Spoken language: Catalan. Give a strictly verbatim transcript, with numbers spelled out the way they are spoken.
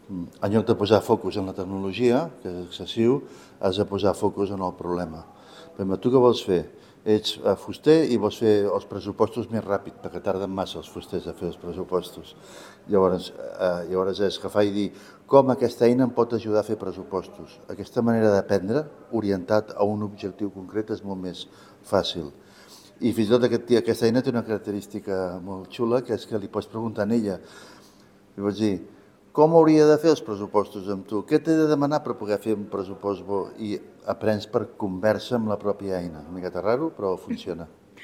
En lloc de posar focus en la tecnologia, que és excessiu, has de posar focus en el problema. Però tu què vols fer? Ets fuster i vols fer els pressupostos més ràpid, perquè tarden massa els fusters a fer els pressupostos. Llavors, eh, llavors és agafar i dir com aquesta eina em pot ajudar a fer pressupostos. Aquesta manera d'aprendre, orientat a un objectiu concret, és molt més fàcil. I fins i tot aquest, aquesta eina té una característica molt xula, que és que li pots preguntar a ella. Li pots dir, com hauria de fer els pressupostos amb tu? Què t'he de demanar per poder fer un pressupost bo? I aprens per conversa amb la pròpia eina. Una miqueta raro, però funciona.